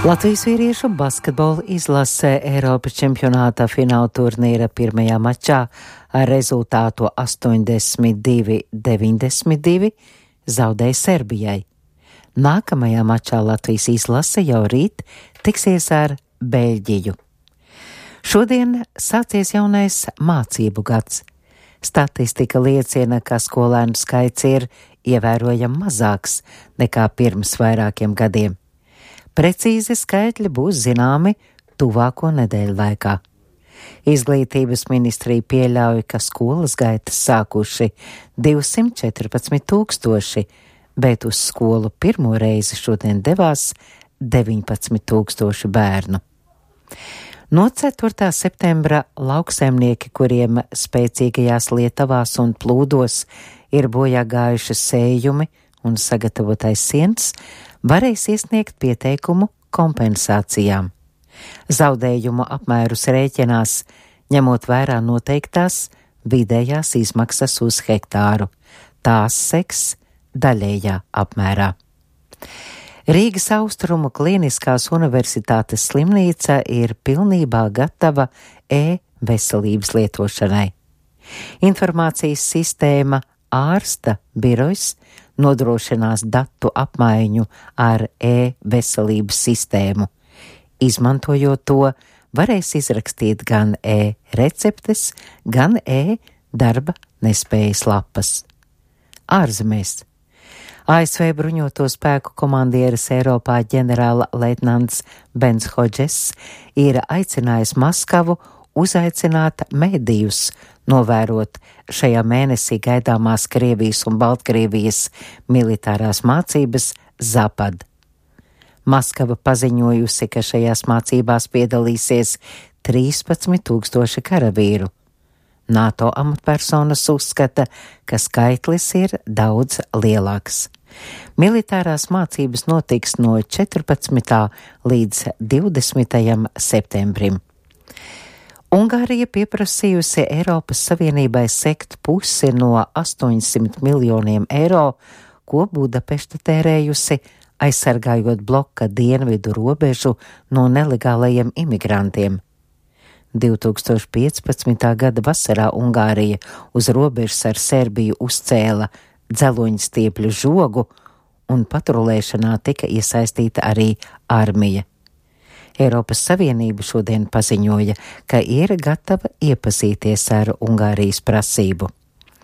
Latvijas vīriešu basketbola izlase Eiropas čempionāta fināla turnīra pirmajā mačā ar rezultātu 82-92 zaudēja Serbijai. Nākamajā mačā Latvijas izlase jau rīt tiksies ar Beļģiju. Šodien sācies jaunais mācību gads. Statistika liecina, ka skolēnu skaits ir ievērojami mazāks nekā pirms vairākiem gadiem. Precīzi skaitļi būs zināmi tuvāko nedēļu laikā. Izglītības ministrija pieļauj, ka skolas gaitas sākuši 214,000, bet uz skolu pirmo reizi šodien devās 19,000 bērnu. No 4. septembra lauksaimnieki, kuriem spēcīgajās lietavās un plūdos ir bojā gājušas sējumi un sagatavotais siens, varēs iesniegt pieteikumu kompensācijām. Zaudējumu apmērus rēķinās, ņemot vērā noteiktās vidējās izmaksas uz hektāru. Tās seks daļējā apmērā. Rīgas Austrumu Kliniskās universitātes slimnīca ir pilnībā gatava e-veselības lietošanai. Informācijas sistēma ārsta birojs nodrošinās datu apmaiņu ar e-veselības sistēmu. Izmantojot to, varēs izrakstīt gan e-receptes, gan e-darba nespējas lapas. Ārzemēs. ASV bruņoto spēku komandieris Eiropā ģenerāla leitnants Bens Hodžess ir aicinājis Maskavu uzaicināt medijus, novērot šajā mēnesī gaidāmās Krievijas un Baltkrievijas militārās mācības Zapad. Maskava paziņojusi, ka šajās mācībās piedalīsies 13,000 karavīru. NATO amatpersonas uzskata, ka skaitlis ir daudz lielāks. Militārās mācības notiks no 14. līdz 20. septembrim. Ungārija pieprasījusi Eiropas Savienībai sekt pusi no 800 miljoniem eiro, ko Budapešta tērējusi, aizsargājot bloka dienvidu robežu no nelegālajiem imigrantiem. 2015. gada vasarā Ungārija uz robežas ar Serbiju uzcēla dzeloņstiepļu žogu, un patrulēšanā tika iesaistīta arī armija. Eiropas Savienība šodien paziņoja, ka ir gatava iepazīties ar Ungārijas prasību.